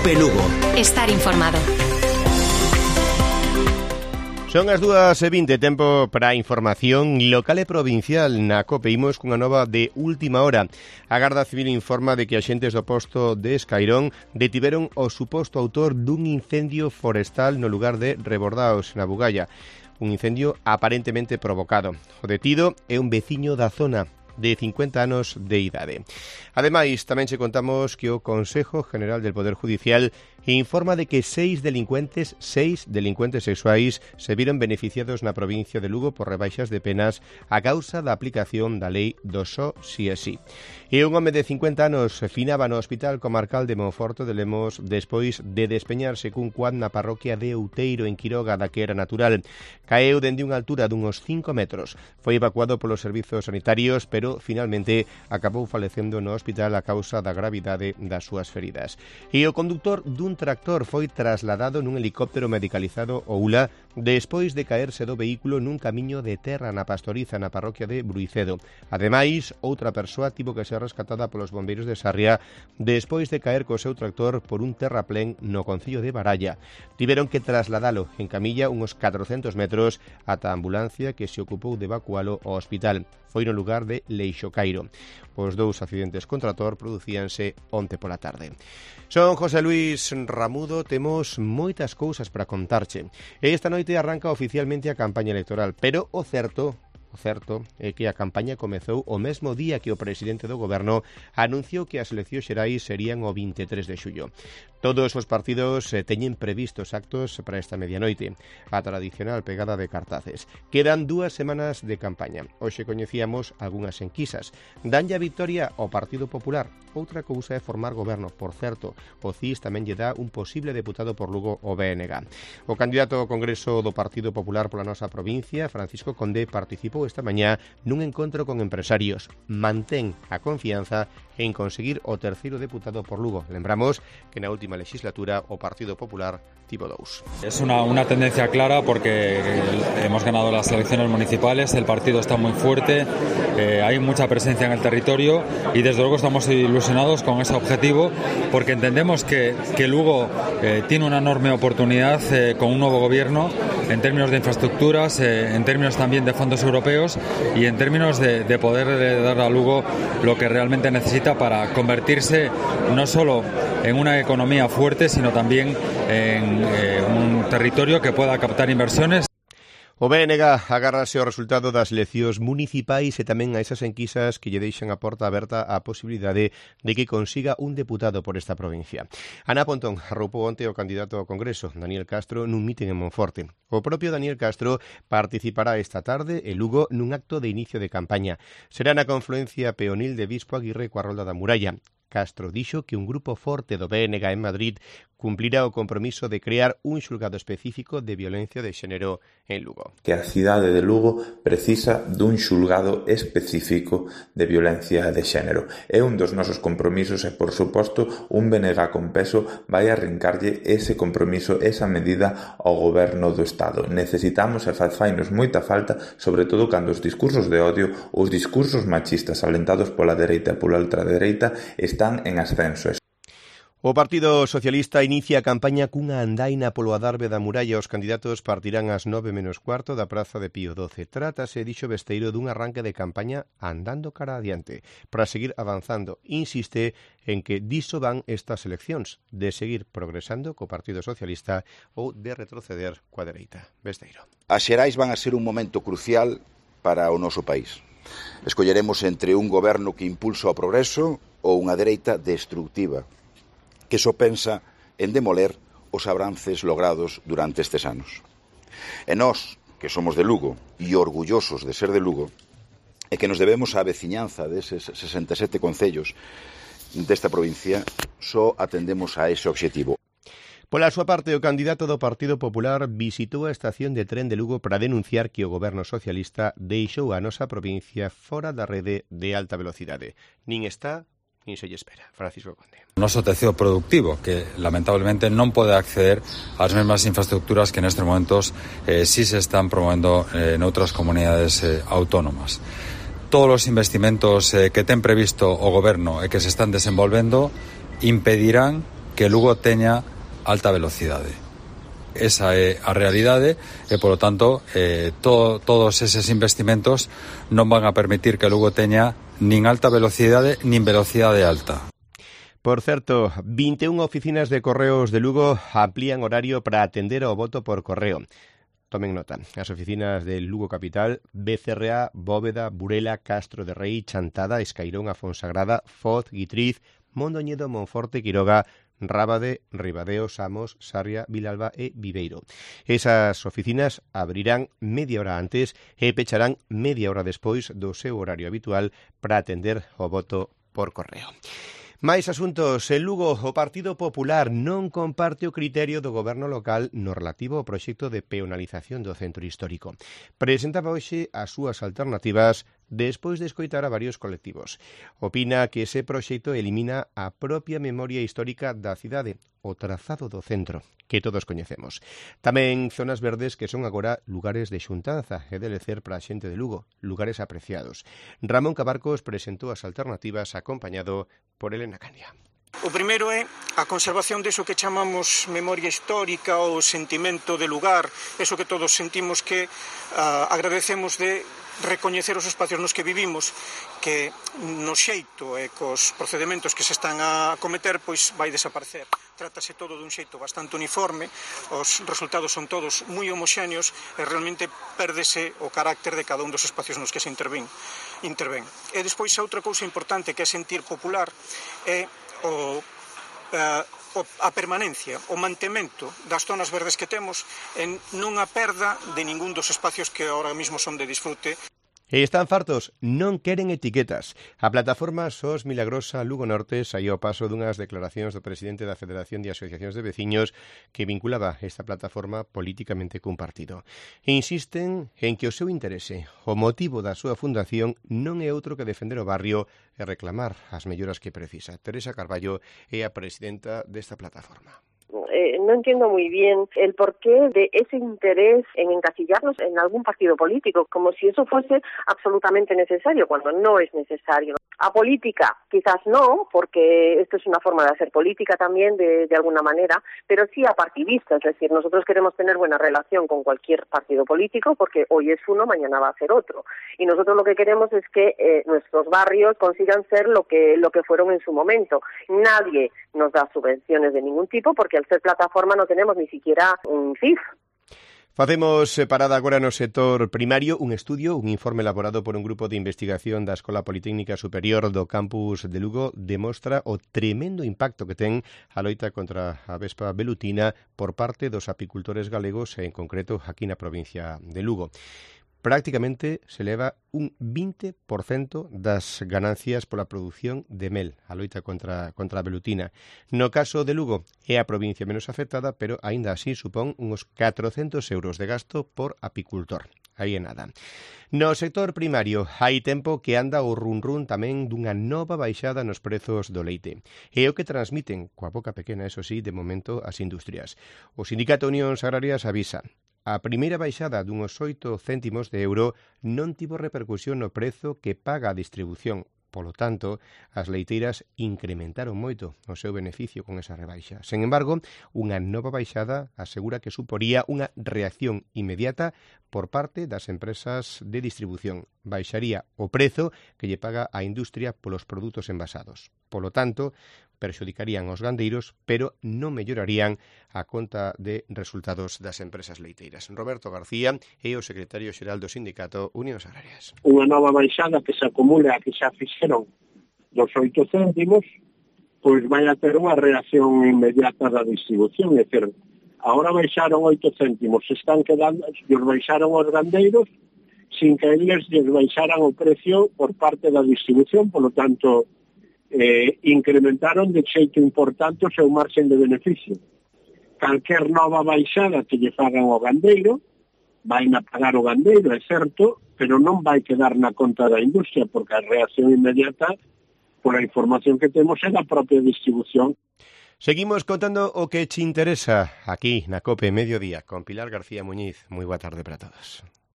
COPE Lugo. Estar informado. Son as 2:20, tempo para a información local e provincial na COPE. Imos cunha nova de última hora. A Garda Civil informa de que axentes do posto de Escairón detiveron o suposto autor dun incendio forestal no lugar de Rebordaos, na Bugalla. Un incendio aparentemente provocado. O detido é un veciño da zona de 50 anos de idade. Ademais, tamén che contamos que o Consejo General del Poder Judicial informa de que 6 delincuentes sexuais se viron beneficiados na provincia de Lugo por rebaixas de penas a causa da aplicación da lei do só si é si. E un home de 50 anos finaba no Hospital Comarcal de Monforte de Lemos despois de despeñarse cun quad na parroquia de Outeiro, en Quiroga, da que era natural. Caeu dende unha altura dunhos 5 metros. Foi evacuado polos servizos sanitarios, pero finalmente acabou falecendo no hospital a causa da gravidade das súas feridas. E o conductor dun tractor foi trasladado nun helicóptero medicalizado ao ULA despois de caerse do vehículo nun camiño de terra na Pastoriza, na parroquia de Bruicedo. Ademais, outra persoa tivo que ser rescatada polos bombeiros de Sarria despois de caer co seu tractor por un terraplén no concello de Baralla. Tiveron que trasladalo en camilla uns 400 metros ata a ambulancia que se ocupou de evacualo ao hospital. Foi no lugar de Leixocairo. Os dous accidentes con trator producíanse onte pola tarde. Son José Luis Ramudo, temos moitas cousas para contarche. Esta noite arranca oficialmente a campaña electoral, pero o certo é que a campaña comezou o mesmo día que o presidente do goberno anunciou que as eleccións xerais serían o 23 de xullo. Todos os partidos teñen previstos actos para esta medianoite, a tradicional pegada de cartaces. Quedan 2 semanas de campaña. Hoxe coñecíamos algunhas enquisas. Danlle a victoria ao Partido Popular. Outra cousa é formar goberno. Por certo, o CIS tamén lle dá un posible deputado por Lugo ao BNG. O candidato ao Congreso do Partido Popular pola nosa provincia, Francisco Conde, participou esta mañá nun encontro con empresarios. Mantén a confianza en conseguir o terceiro deputado por Lugo. Lembramos que na última legislatura o Partido Popular tivo 2. Es una tendencia clara porque hemos ganado las elecciones municipales, el partido está muy fuerte, hay mucha presencia en el territorio y desde luego estamos ilusionados con ese objetivo porque entendemos que Lugo tiene una enorme oportunidad con un nuevo gobierno en términos de infraestructuras, en términos también de fondos europeos y en términos de poder dar a Lugo lo que realmente necesita para convertirse no solo en una economía fuerte, sino también en un territorio que pueda captar inversiones. O BNG agárrase ao resultado das eleccións municipais e tamén a esas enquisas que lle deixan a porta aberta á posibilidade de que consiga un deputado por esta provincia. Ana Pontón arroupou onte o candidato ao Congreso, Daniel Castro, nun mitin en Monforte. O propio Daniel Castro participará esta tarde en Lugo nun acto de inicio de campaña. Será na confluencia peonil de Bispo Aguirre coa Rolda da Muralla. Castro dixo que un grupo forte do BNG en Madrid cumplirá o compromiso de crear un xulgado específico de violencia de xénero en Lugo. Que a cidade de Lugo precisa dun xulgado específico de violencia de xénero. É un dos nosos compromisos e, por suposto, un BNG con peso vai arrincarlle ese compromiso, esa medida ao goberno do Estado. Necesitamos e fainos moita falta, sobre todo cando os discursos de odio, os discursos machistas alentados pola dereita e pola ultradereita están en ascenso. O Partido Socialista inicia a campaña cunha andaina polo adarve da muralla. Os candidatos partirán ás 9:15 da Praza de Pío XII. Trátase, dixo Besteiro, dun arranque de campaña andando cara adiante, para seguir avanzando. Insiste en que diso van estas eleccións, de seguir progresando co Partido Socialista ou de retroceder coa dereita. Besteiro. As xerais van a ser un momento crucial para o noso país. Escolleremos entre un goberno que impulsa o progreso ou unha dereita destructiva, que só pensa en demoler os avances logrados durante estes anos. E nós, que somos de Lugo e orgullosos de ser de Lugo, e que nos debemos á veciñanza deses 67 concellos desta provincia, só atendemos a ese obxectivo. Pola súa parte, o candidato do Partido Popular visitou a estación de tren de Lugo para denunciar que o goberno socialista deixou a nosa provincia fora da rede de alta velocidade. Nin está nin se lle espera. Francisco Conde. O noso tecido productivo, que lamentablemente non pode acceder ás mesmas infraestructuras que nestes momentos sí se están promovendo noutras comunidades autónomas. Todos os investimentos que ten previsto o goberno e que se están desenvolvendo impedirán que Lugo teña alta velocidade. Esa é a realidade e, polo tanto, todos eses investimentos non van a permitir que Lugo teña nin alta velocidade nin velocidade alta. Por certo, 21 oficinas de correos de Lugo amplían horario para atender ao voto por correo. Tomen nota, as oficinas de Lugo Capital, Becerra, Bóveda, Burela, Castro de Rei, Chantada, Escairón, Afonsagrada, Foz, Guitriz, Mondoñedo, Monforte, Quiroga, Rábade, Ribadeo, Samos, Sarria, Vilalba e Viveiro. Esas oficinas abrirán media hora antes e pecharán media hora despois do seu horario habitual para atender o voto por correo. Máis asuntos. En Lugo, o Partido Popular non comparte o criterio do goberno local no relativo ao proxecto de peonalización do centro histórico. Presentaba hoxe as súas alternativas despois de escoitar a varios colectivos. Opina que ese proxecto elimina a propia memoria histórica da cidade, o trazado do centro, que todos coñecemos. Tamén zonas verdes que son agora lugares de xuntanza e de lecer para a xente de Lugo, lugares apreciados. Ramón Cabarcos presentou as alternativas acompañado por Elena Candia. O primeiro é a conservación deso que chamamos memoria histórica ou sentimento de lugar, eso que todos sentimos que agradecemos de recoñecer os espacios nos que vivimos, que no xeito e cos procedementos que se están a cometer pois vai desaparecer. Trátase todo dun xeito bastante uniforme, os resultados son todos moi homoxéneos e realmente pérdese o carácter de cada un dos espacios nos que se intervén. E despois a outra cousa importante que é sentir popular é a permanencia, o mantemento das zonas verdes que temos en non a perda de ningún dos espacios que ahora mismo son de disfrute. E están fartos, non queren etiquetas. A plataforma SOS Milagrosa Lugo Norte saiu ao paso dunhas declaracións do presidente da Federación de Asociacións de Veciños que vinculaba esta plataforma políticamente cun partido. E insisten en que o seu interese, o motivo da súa fundación, non é outro que defender o barrio e reclamar as melloras que precisa. Teresa Carballo é a presidenta desta plataforma. No entiendo muy bien el porqué de ese interés en encasillarnos en algún partido político, como si eso fuese absolutamente necesario, cuando no es necesario. A política, quizás no, porque esto es una forma de hacer política también, de alguna manera, pero sí a partidista, es decir, nosotros queremos tener buena relación con cualquier partido político, porque hoy es uno, mañana va a ser otro. Y nosotros lo que queremos es que nuestros barrios consigan ser lo que fueron en su momento. Nadie nos da subvenciones de ningún tipo, porque al ser plataforma no tenemos ni siquiera un CIF. Facemos parada agora no sector primario, un estudio, un informe elaborado por un grupo de investigación da Escola Politécnica Superior do campus de Lugo demostra o tremendo impacto que ten a loita contra a vespa velutina por parte dos apicultores galegos e en concreto aquí na provincia de Lugo. Prácticamente se leva un 20% das ganancias pola produción de mel, a loita contra a velutina. No caso de Lugo é a provincia menos afectada, pero aínda así supón uns 400 euros de gasto por apicultor. Aí é nada. No sector primario hai tempo que anda o run-run tamén dunha nova baixada nos prezos do leite. É o que transmiten, coa boca pequena, eso sí, de momento as industrias. O Sindicato Unións Agrarias avisa. A primeira baixada dunhos 8 céntimos de euro non tivo repercusión no prezo que paga a distribución. Polo tanto, as leiteiras incrementaron moito o seu beneficio con esa rebaixa. Sen embargo, unha nova baixada asegura que suporía unha reacción inmediata por parte das empresas de distribución. Baixaría o prezo que lle paga a industria polos produtos envasados. Polo tanto, perxudicarían os gandeiros, pero non mellorarían a conta de resultados das empresas leiteiras. Roberto García é o secretario xeral do Sindicato Unións Agrarias. Unha nova baixada que se acumula, que xa fixeron dos 8 céntimos, pois vai a ter unha reacción inmediata da distribución. É dicir, agora baixaron 8 céntimos, se están quedando, os baixaron os gandeiros, sin que eles lles baixaran o precio por parte da distribución, polo tanto, incrementaron de xeito importante o seu marxen de beneficio. Calquer nova baixada que lle fagan ao gandeiro, vai a pagar o gandeiro, é certo, pero non vai quedar na conta da industria, porque a reacción inmediata, por a información que temos, é da propia distribución. Seguimos contando o que te interesa aquí na COPE Mediodía con Pilar García Muñiz. Moi boa tarde para todos.